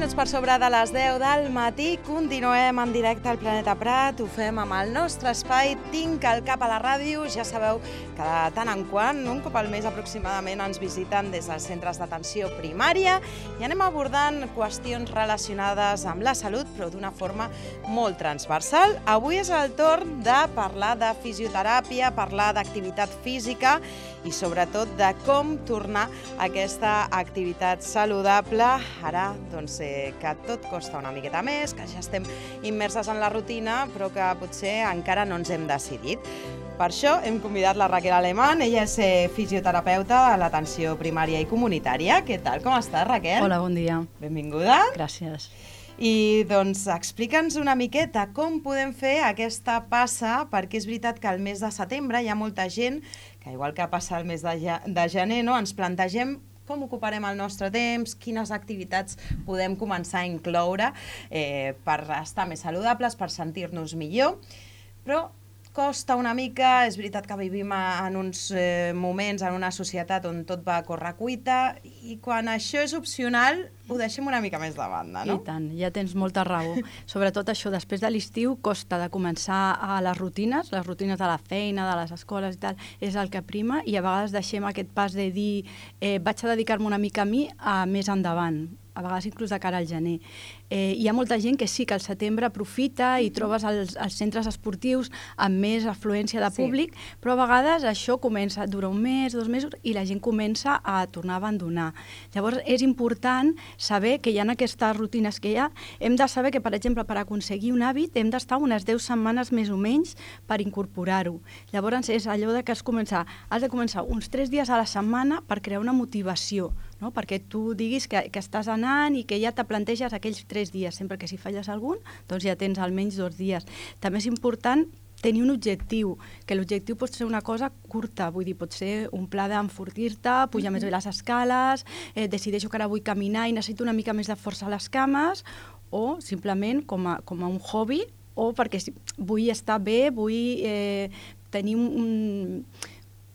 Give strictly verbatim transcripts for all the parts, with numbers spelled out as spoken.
minuts per sobre de les deu del matí, continuem en directe al Planeta Prat, ho fem amb el nostre espai Tinc el cap a la ràdio. Ja sabeu que de tant en quant, un cop al mes aproximadament, ens visiten des dels centres d'atenció primària i anem abordant qüestions relacionades amb la salut, però d'una forma molt transversal. Avui és el torn de parlar de fisioteràpia, parlar d'activitat física i sobretot de com tornar a aquesta activitat saludable. Ara, doncs, eh, que tot costa una miqueta més, que ja estem immerses en la rutina, però que potser encara no ens hem decidit. Per això hem convidat la Raquel Alemán. Ella és eh, fisioterapeuta a l'atenció primària i comunitària. Què tal? Com estàs, Raquel? Hola, bon dia. Benvinguda. Gràcies. I doncs explica'ns una miqueta com podem fer aquesta passa, perquè és veritat que al mes de setembre hi ha molta gent que, igual que passa el mes de, ja, de gener, no, ens plantegem com ocuparem el nostre temps, quines activitats podem començar a incloure eh, per estar més saludables, per sentir-nos millor, però costa una mica. És veritat que vivim en uns eh, moments, en una societat on tot va a correcuita, i quan això és opcional ho deixem una mica més de banda, no? I tant, ja tens molta raó. Sobretot això, després de l'estiu, costa de començar a les rutines, les rutines de la feina, de les escoles i tal, és el que prima, i a vegades deixem aquest pas de dir eh, vaig a dedicar-me una mica a mi a més endavant, a vegades inclús de cara al gener. Eh, hi ha molta gent que sí que al setembre aprofita i trobes els, els centres esportius amb més afluència de públic, sí. Però a vegades això comença, dura un mes, dos mesos, i la gent comença a tornar a abandonar. Llavors és important saber que hi ha aquestes rutines que hi ha. Hem de saber que, per exemple, per aconseguir un hàbit hem d'estar unes deu setmanes més o menys per incorporar-ho. Llavors és allò de que has, començar, has de començar uns tres dies a la setmana per crear una motivació, no? Perquè tu diguis que, que estàs anant i que ja te planteges aquells tres dies. Sempre que si falles algun, doncs ja tens almenys dos dies. També és important tenir un objectiu, que l'objectiu pot ser una cosa curta, vull dir, pot ser un pla d'enfortir-te, pujar mm-hmm. més bé les escales, eh, decideixo que ara vull caminar i necessito una mica més de força a les cames, o simplement com a, com a un hobby, o perquè vull estar bé, vull eh, tenir un...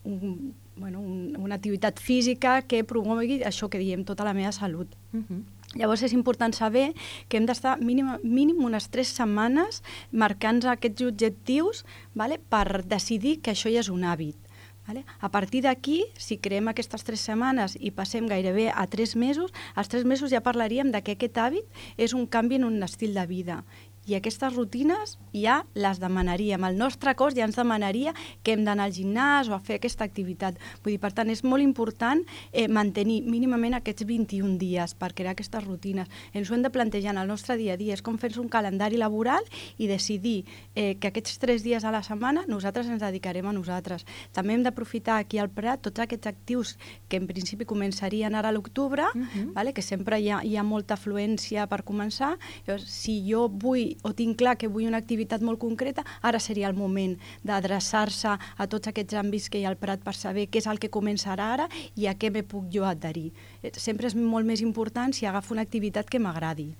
un bueno, un, una activitat física que promogui això que diem, tota la meva salut. Uh-huh. Llavors és important saber que hem d'estar mínim, mínim unes tres setmanes marcant aquests objectius, vale, per decidir que això ja és un hàbit. Vale? A partir d'aquí, si creem aquestes tres setmanes i passem gairebé a tres mesos, als tres mesos ja parlaríem de que aquest hàbit és un canvi en un estil de vida. I aquestes rutines ja les demanaríem. El nostre cos ja ens demanaria que hem d'anar al gimnàs o a fer aquesta activitat. Vull dir, per tant, és molt important eh, mantenir mínimament aquests vint-i-un dies per crear aquestes rutines. Ens ho hem de plantejar en el nostre dia a dia. És com fer-se un calendari laboral i decidir eh, que aquests tres dies a la setmana nosaltres ens dedicarem a nosaltres. També hem d'aprofitar aquí al Prat tots aquests actius que en principi començarien ara a l'octubre, uh-huh. vale? Que sempre hi ha, hi ha molta afluència per començar. Llavors, si jo vull o tinc clar que vull una activitat molt concreta, ara seria el moment d'adreçar-se a tots aquests àmbits que hi ha al Prat per saber què és el que començarà ara i a què me puc jo adherir. Sempre és molt més important si agafo una activitat que m'agradi.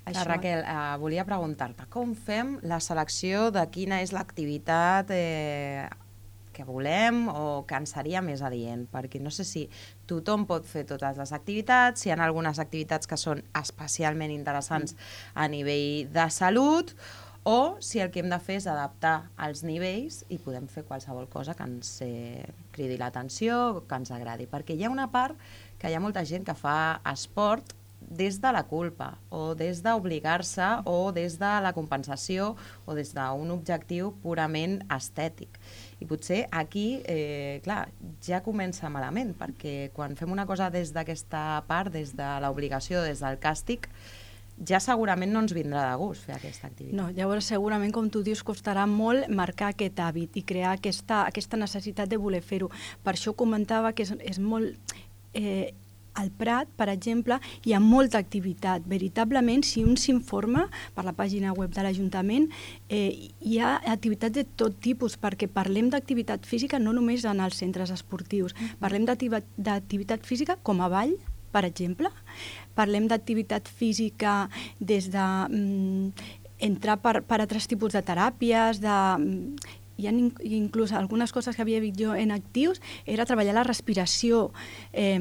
Això... Raquel, eh, volia preguntar-te, com fem la selecció de quina és l'activitat eh, que volem o que ens seria més adient? Perquè no sé si tothom pot fer totes les activitats, si hi ha algunes activitats que són especialment interessants a nivell de salut, o si el que hem de fer és adaptar els nivells i podem fer qualsevol cosa que ens eh, cridi l'atenció, que ens agradi. Perquè hi ha una part que hi ha molta gent que fa esport des de la culpa, o des d'obligar-se, o des de la compensació, o des d'un objectiu purament estètic. I potser aquí, eh, clar, ja comença malament, perquè quan fem una cosa des d'aquesta part, des de l'obligació, des del càstig, ja segurament no ens vindrà de gust fer aquesta activitat. No, llavors segurament, com tu dius, costarà molt marcar aquest hàbit i crear aquesta, aquesta necessitat de voler fer-ho. Per això comentava que és, és molt... Eh, al Prat, per exemple, hi ha molta activitat. Veritablement, si un s'informa per la pàgina web de l'Ajuntament, eh, hi ha activitats de tot tipus, perquè parlem d'activitat física no només en els centres esportius. Mm-hmm. Parlem d'activitat física com a ball, per exemple. Parlem d'activitat física des de mm, entrar per, per altres tipus de teràpies, de... hi ha inclús algunes coses que havia vist jo en actius, era treballar la respiració, eh,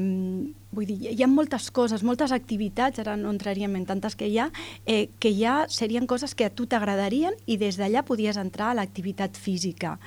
vull dir, hi ha moltes coses, moltes activitats, ara no entraríem en tantes que hi ha, eh, que ja serien coses que a tu t'agradarien i des d'allà podies entrar a l'activitat física,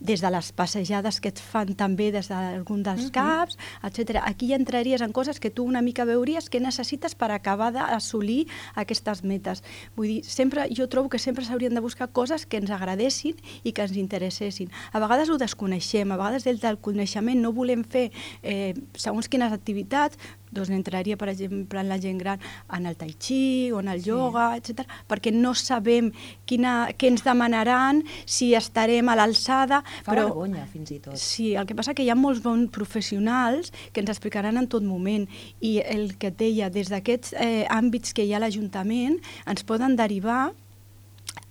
des de les passejades que et fan també des d'algun dels caps, etcètera. Aquí ja entraries en coses que tu una mica veuries que necessites per acabar d'assolir aquestes metes. Vull dir, sempre, jo trobo que sempre s'haurien de buscar coses que ens agradessin i que ens interessessin. A vegades ho desconeixem, a vegades des del coneixement no volem fer eh, segons quines activitats, doncs entraria, per exemple, en la gent gran en el tai chi o en el ioga, sí. etcètera, perquè no sabem quina, què ens demanaran, si estarem a l'alçada. Fa però, vergonya, fins i tot. Sí, el que passa que hi ha molts bons professionals que ens explicaran en tot moment i el que et deia, des d'aquests eh, àmbits que hi ha a l'Ajuntament, ens poden derivar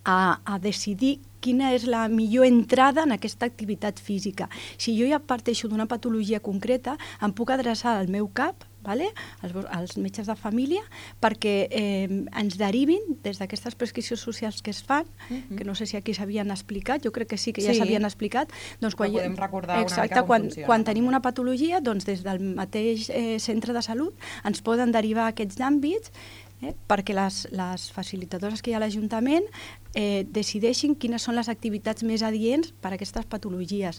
a, a decidir quina és la millor entrada en aquesta activitat física. Si jo ja parteixo d'una patologia concreta, em puc adreçar al meu cap, vale? als, als metges de família, perquè eh, ens derivin des d'aquestes prescripcions socials que es fan, uh-huh. que no sé si aquí s'havien explicat, jo crec que sí que ja s'havien sí. explicat. Doncs quan, podem recordar exacte, una mica com quan, funciona. Quan tenim una patologia, doncs des del mateix eh, centre de salut ens poden derivar aquests àmbits Eh, perquè les, les facilitadores que hi ha a l'Ajuntament eh, decideixin quines són les activitats més adients per a aquestes patologies.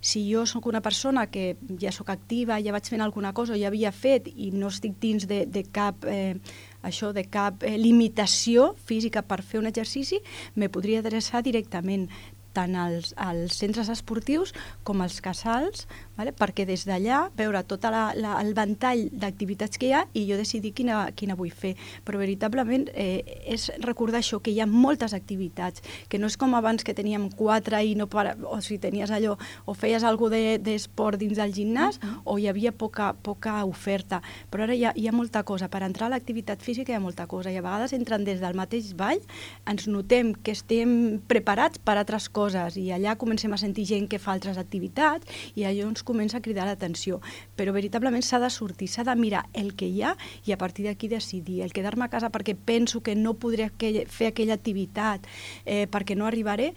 Si jo sóc una persona que ja sóc activa, ja vaig fent alguna cosa, ja havia fet i no estic dins de, de cap, eh, això, de cap eh, limitació física per fer un exercici, me podria adreçar directament tant als, als centres esportius com als casals, vale? Perquè des d'allà veure tot la, la, el ventall d'activitats que hi ha i jo decidir quina, quina vull fer. Però veritablement eh, és recordar això, que hi ha moltes activitats, que no és com abans que teníem quatre i no para, o si tenies allò, o feies alguna d'esport dins del gimnàs uh-huh. o hi havia poca, poca oferta. Però ara hi ha, hi ha molta cosa. Per entrar a l'activitat física hi ha molta cosa i a vegades entren des del mateix ball, ens notem que estem preparats per altres coses coses i allà comencem a sentir gent que fa altres activitats i allò ens comença a cridar l'atenció. Però veritablement s'ha de sortir, s'ha de mirar el que hi ha i a partir d'aquí decidir. El quedar-me a casa perquè penso que no podré fer aquella activitat eh, perquè no arribaré,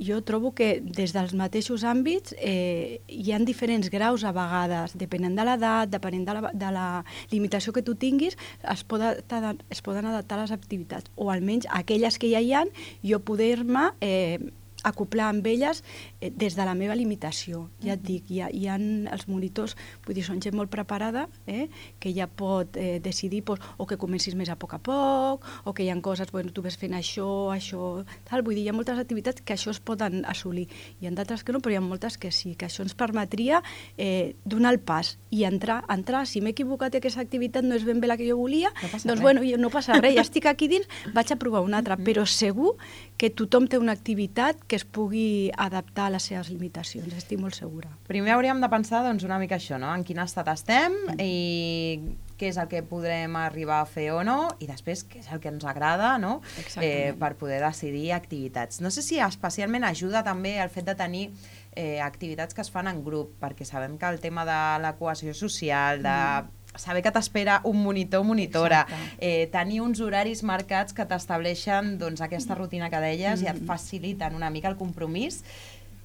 jo trobo que des dels mateixos àmbits eh, hi ha diferents graus a vegades, depenent de l'edat, depenent de la, de la limitació que tu tinguis, es, poden, es poden adaptar les activitats, o almenys aquelles que ja hi ha, jo poder-me eh, acoplar amb elles eh, des de la meva limitació. Ja et dic, hi ha, hi ha els monitors, vull dir, són gent molt preparada, eh, que ja pot eh, decidir pues, o que comencis més a poc a poc, o que hi ha coses, bueno, tu ves fent això, això, tal, vull dir, hi ha moltes activitats que això es poden assolir. Hi ha d'altres que no, però hi ha moltes que sí, que això ens permetria eh, donar el pas i entrar, entrar. Si m'he equivocat i aquesta activitat no és ben bé la que jo volia, no doncs res. Bueno, no passa res, ja estic aquí dins, vaig a provar una altra, però segur que tothom té una activitat que es pugui adaptar a les seves limitacions, estic molt segura. Primer hauríem de pensar doncs, una mica això, no? En quin estat estem i què és el que podrem arribar a fer o no i després què és el que ens agrada, no? Eh, per poder decidir activitats. No sé si especialment ajuda també el fet de tenir eh, activitats que es fan en grup, perquè sabem que el tema de la cohesió social, de mm. saber que t'espera un monitor o monitora, eh, tenir uns horaris marcats que t'estableixen doncs, aquesta rutina que deies mm. i et faciliten una mica el compromís,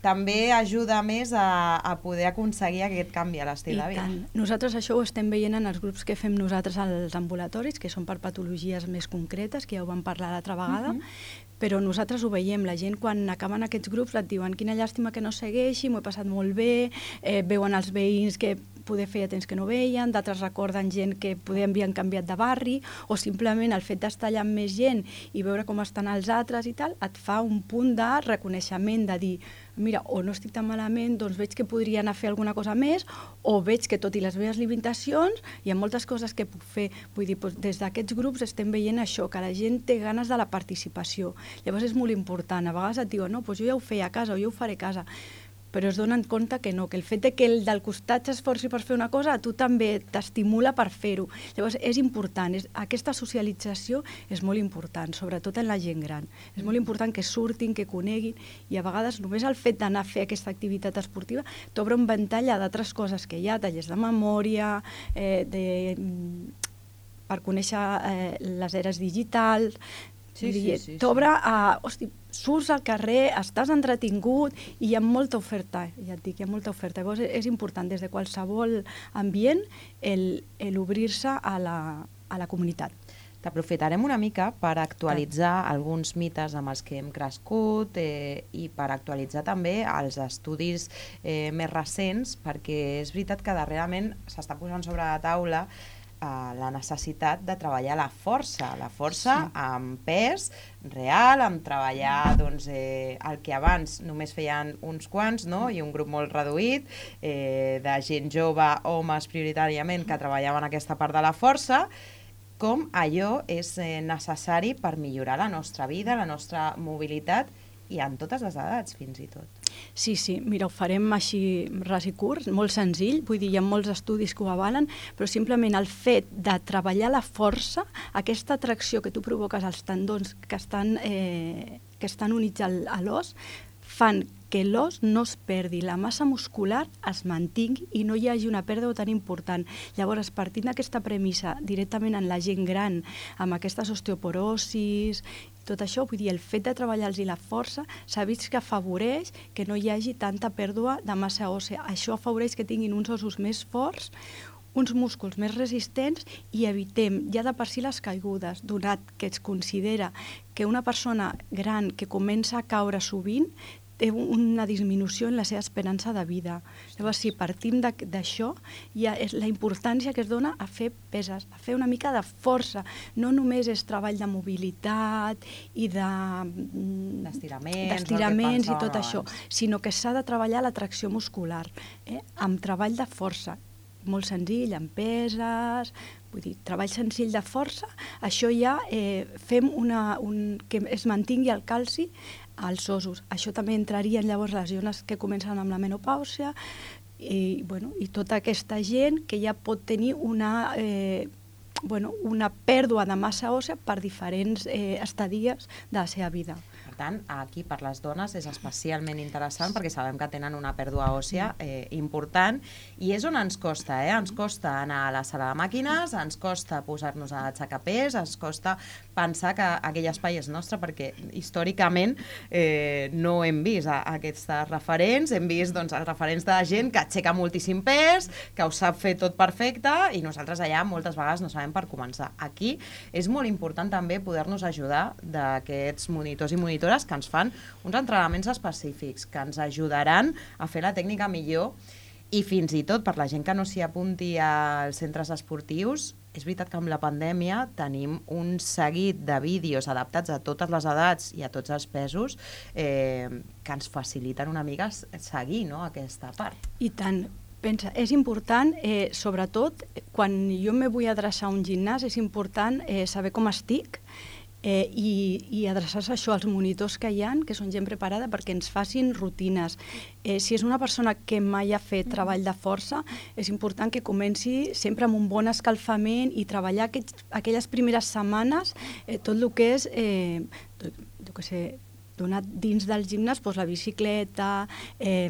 també ajuda més a, a poder aconseguir aquest canvi a l'estil de vida. Nosaltres això ho estem veient en els grups que fem nosaltres als ambulatoris, que són per patologies més concretes, que ja ho vam parlar l'altra vegada, uh-huh. però nosaltres ho veiem, la gent quan acaben aquests grups et diuen quina llàstima que no segueixi, m'ho he passat molt bé, eh, veuen els veïns que poder feia temps que no veien, d'altres recorden gent que poder havien canviat de barri, o simplement el fet d'estar allà amb més gent i veure com estan els altres i tal, et fa un punt de reconeixement, de dir, mira, o no estic tan malament, doncs veig que podria anar a fer alguna cosa més, o veig que tot i les meves limitacions hi ha moltes coses que puc fer. Vull dir, doncs, des d'aquests grups estem veient això, que la gent té ganes de la participació. Llavors és molt important. A vegades et diuen, no, doncs jo ja ho feia a casa o jo ho faré a casa, però es donen compte que no, que el fet de que el del costat s'esforci per fer una cosa, a tu també t'estimula per fer-ho. Llavors és important, és, aquesta socialització és molt important, sobretot en la gent gran. És molt important que surtin, que coneguin, i a vegades només el fet d'anar a fer aquesta activitat esportiva t'obre un ventall d'altres coses que hi ha, tallers de memòria, eh, de, per conèixer eh, les eres digitals, Sí, sí, sí. T'obre a... Hosti, surts al carrer, estàs entretingut i hi ha molta oferta, ja et dic, hi ha molta oferta. Llavors és important des de qualsevol ambient el, el obrir-se a la, a la comunitat. T'aprofitarem una mica per actualitzar alguns mites amb els que hem crescut eh, i per actualitzar també els estudis eh, més recents, perquè és veritat que darrerament s'està posant sobre la taula la necessitat de treballar la força, la força sí. amb pes real, amb treballar doncs, eh, el que abans només feien uns quants, no? I un grup molt reduït, eh, de gent jove, homes prioritàriament, que treballaven aquesta part de la força, com allò és eh, necessari per millorar la nostra vida, la nostra mobilitat, i en totes les edats, fins i tot. Sí, sí, mira, ho farem així ras i curt, molt senzill, vull dir, hi ha molts estudis que ho avalen, però simplement el fet de treballar la força, aquesta atracció que tu provoques als tendons que estan, eh, que estan units al, a l'os, fan que l'os no es perdi, la massa muscular es mantingui i no hi hagi una pèrdua tan important. Llavors, partint d'aquesta premissa directament en la gent gran, amb aquestes osteoporosis, tot això, vull dir, el fet de treballar-los la força s'ha vist que afavoreix que no hi hagi tanta pèrdua de massa òssea. Això afavoreix que tinguin uns ossos més forts, uns músculs més resistents i evitem ja de per si les caigudes, donat que es considera que una persona gran que comença a caure sovint té una disminució en la seva esperança de vida. Llavors, si partim d'això, ja és la importància que es dona a fer peses, a fer una mica de força. No només és treball de mobilitat i de... d'estiraments i tot això, sinó que s'ha de treballar la tracció muscular, eh? Amb treball de força, molt senzill, amb peses, vull dir, treball senzill de força, això ja eh, fem una, un, que es mantingui el calci als ossos. Això també entraria en llavors les zones que comencen amb la menopàusia i, bueno, i tota aquesta gent que ja pot tenir una, eh, bueno, una pèrdua de massa òssea per diferents eh, estadies de la seva vida. Per tant, aquí per les dones és especialment interessant perquè sabem que tenen una pèrdua òssea eh, important i és on ens costa, eh? Ens costa anar a la sala de màquines, ens costa posar-nos a aixecar pes, ens costa pensar que aquell espai és nostre perquè històricament eh, no hem vist a, a aquests referents, hem vist doncs, els referents de gent que aixeca moltíssim pes, que ho sap fer tot perfecte i nosaltres allà moltes vegades no sabem per començar. Aquí és molt important també poder-nos ajudar d'aquests monitors i monitores que ens fan uns entrenaments específics, que ens ajudaran a fer la tècnica millor i fins i tot per la gent que no s'hi apunti als centres esportius, és veritat que amb la pandèmia tenim un seguit de vídeos adaptats a totes les edats i a tots els pesos eh, que ens faciliten una mica seguir, no, aquesta part. I tant. Pensa, és important, eh, sobretot, quan jo me vull adreçar a un gimnàs, és important eh, saber com estic eh, i, i adreçar-se a això als monitors que hi ha, que són gent preparada perquè ens facin rutines. Eh, si és una persona que mai ha fet treball de força, és important que comenci sempre amb un bon escalfament i treballar aquests, aquelles primeres setmanes eh, tot el que és, eh, tot, jo què sé, donat dins del gimnàs, doncs la bicicleta, eh,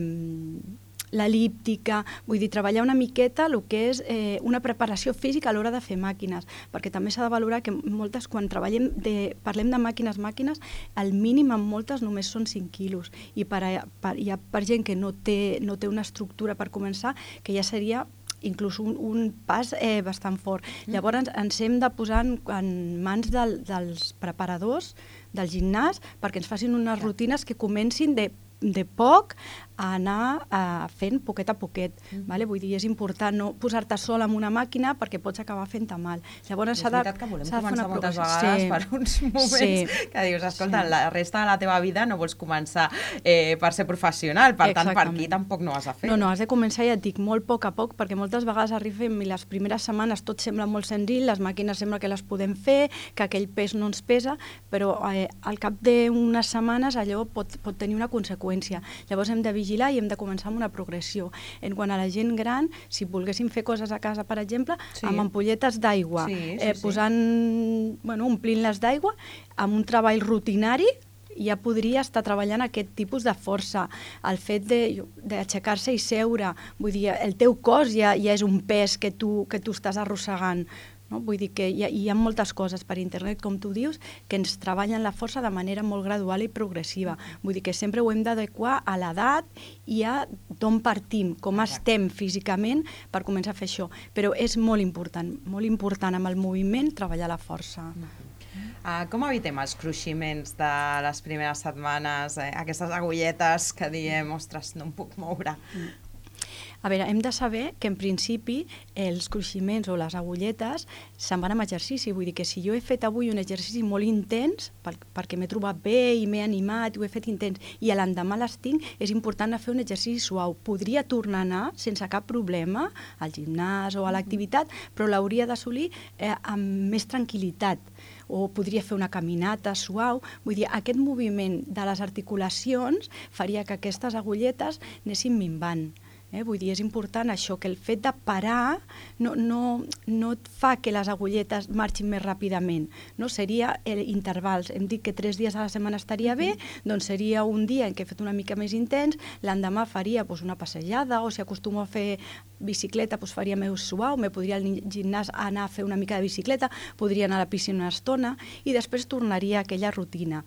l'elíptica, vull dir, treballar una miqueta el que és eh, una preparació física a l'hora de fer màquines, perquè també s'ha de valorar que moltes, quan treballem de, parlem de màquines, màquines, el mínim en moltes només són cinc quilos, i per, per, hi ha per gent que no té, no té una estructura per començar, que ja seria inclús un, un pas eh, bastant fort. Mm. Llavors ens, ens hem de posar en, en mans del, dels preparadors del gimnàs perquè ens facin unes rutines que comencin de de poc a anar uh, fent poquet a poquet. Mm. Vale? Vull dir, és important no posar-te sol en una màquina perquè pots acabar fent-te mal. Llavors és veritat que volem començar moltes vegades sí. per uns moments sí. que dius, escolta, sí. la resta de la teva vida no vols començar eh, per ser professional, per Exactament. tant, per aquí tampoc no has de fer. No, no, has de començar, ja et dic, molt poc a poc, perquè moltes vegades arribem i les primeres setmanes tot sembla molt senzill, les màquines sembla que les podem fer, que aquell pes no ens pesa, però eh, al cap d'unes setmanes allò pot, pot tenir una conseqüència. Llavors hem de vigilar i hem de començar amb una progressió. En quant a la gent gran, si volguéssim fer coses a casa, per exemple, sí. amb ampolletes d'aigua, sí, sí, eh, posant, sí. bueno, omplint-les d'aigua, amb un treball rutinari, ja podria estar treballant aquest tipus de força. El fet d'aixecar-se i seure, vull dir, el teu cos ja, ja és un pes que tu, que tu estàs arrossegant. No? Vull dir que hi ha, hi ha moltes coses per internet, com tu dius, que ens treballen la força de manera molt gradual i progressiva. Vull dir que sempre ho hem d'adequar a l'edat i a d'on partim, com estem físicament per començar a fer això. Però és molt important, molt important amb el moviment treballar la força. Uh, com evitem els cruiximents de les primeres setmanes, eh? Aquestes agulletes que diem, ostres, no em puc moure? A veure, hem de saber que en principi els cruiximents o les agulletes se'n van amb exercici. Vull dir que si jo he fet avui un exercici molt intens, per, perquè m'he trobat bé i m'he animat i ho he fet intens, i l'endemà les tinc, és important fer un exercici suau. Podria tornar a anar sense cap problema al gimnàs o a l'activitat, però l'hauria d'assolir eh, amb més tranquil·litat. O podria fer una caminata suau. Vull dir, aquest moviment de les articulacions faria que aquestes agulletes anessin minvant. Eh? Vull dir, és important això, que el fet de parar no, no, no et fa que les agulletes marxin més ràpidament. No? Seria eh, intervals. Hem dit que tres dies a la setmana estaria bé, doncs seria un dia en què he fet una mica més intens, l'endemà faria doncs, una passejada, o si acostumo a fer bicicleta, doncs faria més suau, me podria al gimnàs anar a fer una mica de bicicleta, podria anar a la piscina una estona, i després tornaria a aquella rutina.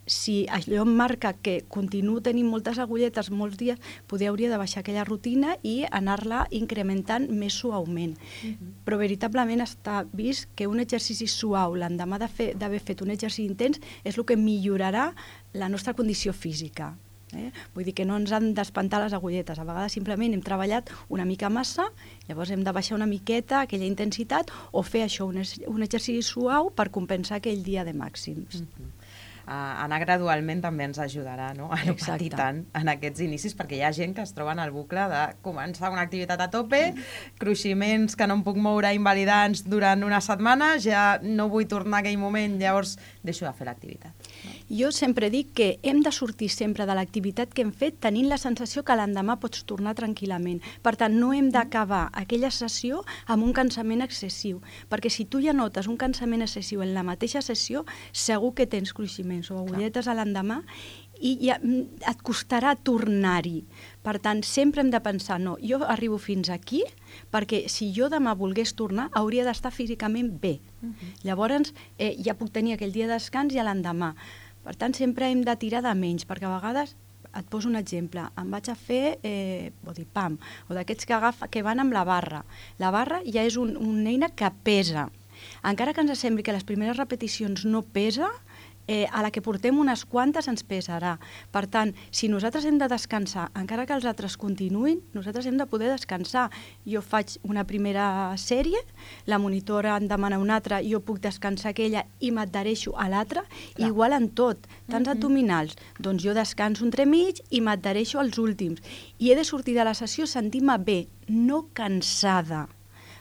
Si allò em marca que continuo tenint moltes agulletes molts dies, poder hauria de baixar aquella rutina i anar-la incrementant més suaument. Uh-huh. Però veritablement està vist que un exercici suau l'endemà d'haver fet un exercici intens és el que millorarà la nostra condició física. Eh? Vull dir que no ens han d'espantar les agulletes. A vegades simplement hem treballat una mica massa, llavors hem de baixar una miqueta aquella intensitat o fer això, un, un exercici suau per compensar aquell dia de màxims. Uh-huh. Uh, anar gradualment també ens ajudarà, no? A no patir tant en aquests inicis, perquè hi ha gent que es troba en el bucle de començar una activitat a tope, cruiximents que no em puc moure invalidants durant una setmana, ja no vull tornar a aquell moment, llavors deixo de fer l'activitat. No? Jo sempre dic que hem de sortir sempre de l'activitat que hem fet tenint la sensació que l'endemà pots tornar tranquil·lament. Per tant, no hem d'acabar aquella sessió amb un cansament excessiu, perquè si tu ja notes un cansament excessiu en la mateixa sessió, segur que tens cruiximents o agulletes a l'endemà i ja et costarà tornar-hi. Per tant, sempre hem de pensar, no, jo arribo fins aquí perquè si jo demà volgués tornar hauria d'estar físicament bé. Uh-huh. Llavors eh, ja puc tenir aquell dia de descans i a l'endemà. Per tant, sempre hem de tirar de menys, perquè a vegades, et poso un exemple, em vaig a fer eh, body pump, o d'aquests que, agafa, que van amb la barra. La barra ja és un, una eina que pesa. Encara que ens sembli que les primeres repeticions no pesa, Eh, a la que portem unes quantes ens pesarà. Per tant, si nosaltres hem de descansar, encara que els altres continuïn, nosaltres hem de poder descansar. Jo faig una primera sèrie, la monitora em demana una altra, jo puc descansar aquella i m'adhereixo a l'altra, igual en tot. Tants uh-huh. abdominals, doncs jo descanso entremig i m'adhereixo als últims. I he de sortir de la sessió sentint-me bé, no cansada,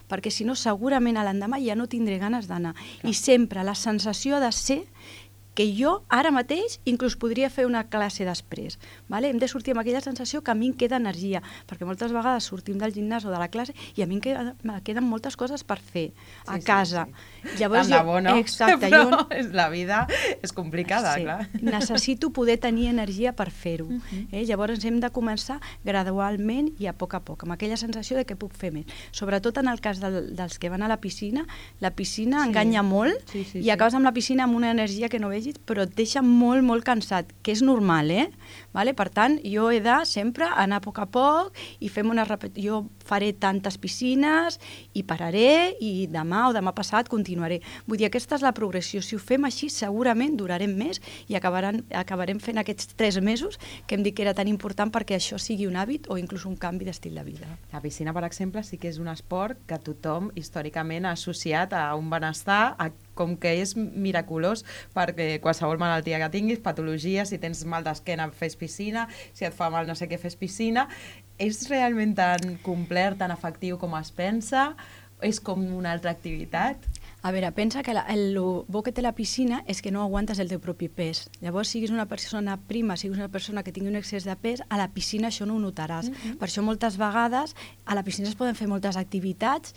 perquè si no segurament a l'endemà ja no tindré ganes d'anar. I sempre la sensació ha de ser que jo ara mateix inclús podria fer una classe després. Vale? Hem de sortir amb aquella sensació que a mi em queda energia, perquè moltes vegades sortim del gimnàs o de la classe i a mi em queden, me queden moltes coses per fer a sí, casa. Sí, sí. Llavors, Tant de bo, no? Exacte, però jo, la vida és complicada, sí, clar. Necessito poder tenir energia per fer-ho. Uh-huh. eh? Llavors hem de començar gradualment i a poc a poc, amb aquella sensació de que puc fer més. Sobretot en el cas del, dels que van a la piscina, la piscina sí. enganya molt sí, sí, i acabes sí. amb la piscina amb una energia que no vegis, però et deixa molt, molt cansat, que és normal, eh? Vale? Per tant, jo he de sempre anar a poc a poc i fem una repetició. Jo faré tantes piscines i pararé i demà o demà passat continuaré. Vull dir, aquesta és la progressió. Si ho fem així, segurament durarem més i acabaran, acabarem fent aquests tres mesos que hem dit que era tan important perquè això sigui un hàbit o inclús un canvi d'estil de vida. La piscina, per exemple, sí que és un esport que tothom històricament ha associat a un benestar, a com que és miraculós perquè qualsevol malaltia que tinguis, patologia, si tens mal d'esquena fes piscina, si et fa mal no sé què fes piscina. És realment tan complet, tan efectiu com es pensa? És com una altra activitat? A veure, pensa que la, el, el bo que té la piscina és que no aguantes el teu propi pes. Llavors, siguis una persona prima, siguis una persona que tingui un excés de pes, a la piscina això no ho notaràs. Mm-hmm. Per això moltes vegades a la piscina es poden fer moltes activitats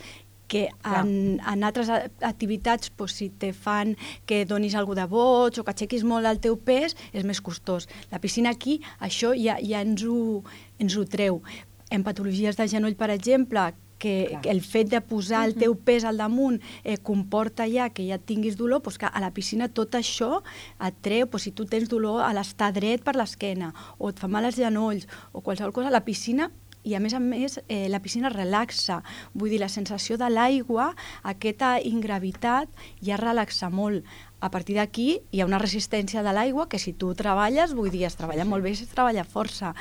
que en, en altres activitats, pues, si te fan que donis alguna de boig o que aixequis molt el teu pes, és més costós. La piscina aquí, això ja, ja ens, ho, ens ho treu. En patologies de genoll, per exemple, que, Clar. que el fet de posar el teu pes al damunt eh, comporta ja que ja tinguis dolor, doncs que a la piscina tot això et treu, doncs si tu tens dolor a l'estar dret per l'esquena, o et fa mal els genolls, o qualsevol cosa, la piscina, i a més a més eh, la piscina relaxa, vull dir, la sensació de l'aigua, aquesta ingravitat ja relaxa molt. A partir d'aquí hi ha una resistència de l'aigua que si tu treballes, vull dir, es treballa molt bé, es treballa força.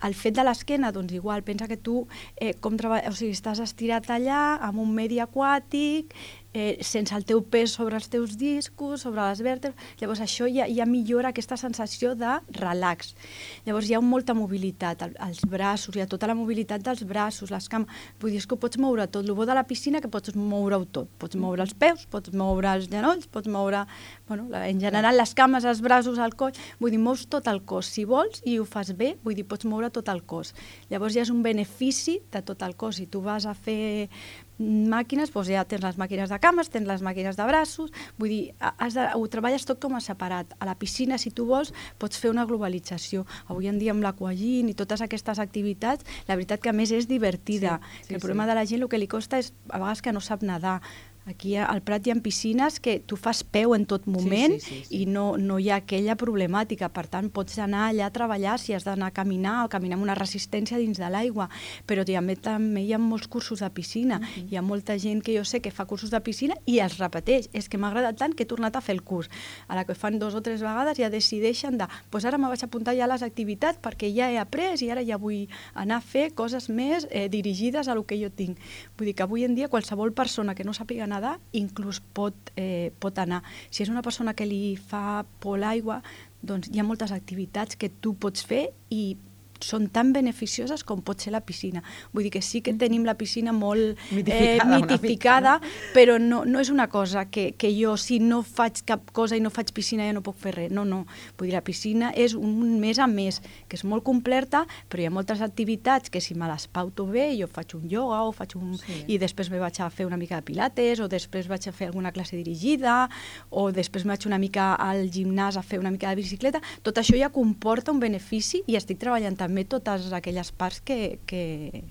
El fet de l'esquena, doncs igual, pensa que tu eh, com treball... o sigui, estàs estirat allà, amb un medi aquàtic, eh, sense el teu pes sobre els teus discos, sobre les vèrtebres, llavors això ja, ja millora aquesta sensació de relax. Llavors hi ha molta mobilitat, el, els braços, hi ha tota la mobilitat dels braços, les cames, vull dir, és que ho pots moure tot, el bo de la piscina que pots moure-ho tot, pots moure els peus, pots moure els genolls, pots moure, bueno, en general les cames, els braços, el coll, vull dir, mous tot el cos, si vols, i ho fas bé, vull dir, pots moure tot el cos. Llavors ja és un benefici de tot el cos, si tu vas a fer màquines, doncs ja tens les màquines de cames, tens les màquines de braços, vull dir, has de, ho treballes tot com a separat. A la piscina, si tu vols, pots fer una globalització. Avui en dia amb l'aquagym i totes aquestes activitats, la veritat que a més és divertida. Sí, sí, el problema sí. de la gent el que li costa és a vegades que no sap nedar. Aquí al Prat hi ha piscines que tu fas peu en tot moment, sí, sí, sí, sí. i no, no hi ha aquella problemàtica. Per tant, pots anar allà a treballar si has d'anar a caminar o caminar amb una resistència dins de l'aigua. Però també, també hi ha molts cursos de piscina. Uh-huh. Hi ha molta gent que jo sé que fa cursos de piscina i els repeteix. És que m'ha agradat tant que he tornat a fer el curs. A la que fan dos o tres vegades ja decideixen de pues ara me vaig apuntar ja a les activitats perquè ja he après i ara ja vull anar a fer coses més eh, dirigides a lo que jo tinc. Vull dir que avui en dia qualsevol persona que no sàpiga nedar, inclús pot, eh, pot anar. Si és una persona que li fa por l'aigua, doncs hi ha moltes activitats que tu pots fer i són tan beneficioses com pot ser la piscina. Vull dir que sí que tenim la piscina molt mitificada, eh, mitificada mica, no? Però no, no és una cosa que, que jo, si no faig cap cosa i no faig piscina, ja no puc fer res. No, no. Vull dir, la piscina és un més a més, que és molt completa, però hi ha moltes activitats que si me les pauto bé, jo faig un ioga o faig un... Sí. I després me vaig a fer una mica de pilates, o després vaig a fer alguna classe dirigida, o després me vaig una mica al gimnàs a fer una mica de bicicleta. Tot això ja comporta un benefici i estic treballant també també totes aquelles parts que, que,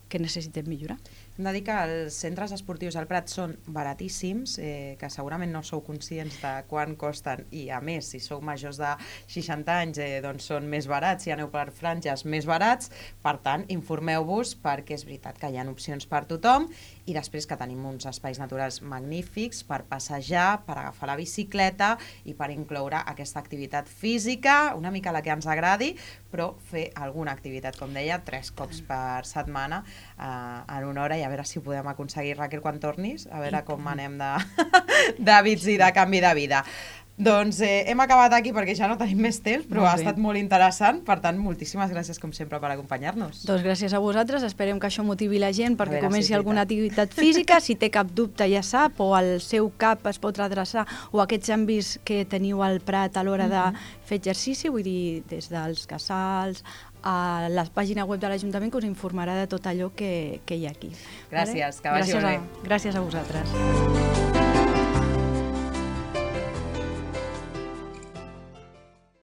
que necessitem millorar. Hem de dir que els centres esportius al Prat són baratíssims, eh, que segurament no sou conscients de quan costen i a més, si sou majors de seixanta anys, eh, doncs són més barats, si aneu per franges més barats, per tant, informeu-vos perquè és veritat que hi ha opcions per tothom i després que tenim uns espais naturals magnífics per passejar, per agafar la bicicleta i per incloure aquesta activitat física, una mica la que ens agradi, però fer alguna activitat, com deia, tres cops per setmana eh, en una hora i a veure si ho podem aconseguir, Raquel, quan tornis, a veure com anem d'hàbits i de canvi de vida. Doncs eh, hem acabat aquí perquè ja no tenim més temps, però ha estat molt interessant, per tant, moltíssimes gràcies com sempre per acompanyar-nos. Doncs gràcies a vosaltres, esperem que això motivi la gent perquè comenci si alguna activitat física, si té cap dubte ja sap, o al seu cap es pot redreçar, o aquests àmbits que teniu al Prat a l'hora de fer exercici, vull dir, des dels casals, a la pàgina web de l'Ajuntament que us informarà de tot allò que, que hi ha aquí. Gràcies, vale? Que vagi gràcies molt bé. A, gràcies a vosaltres.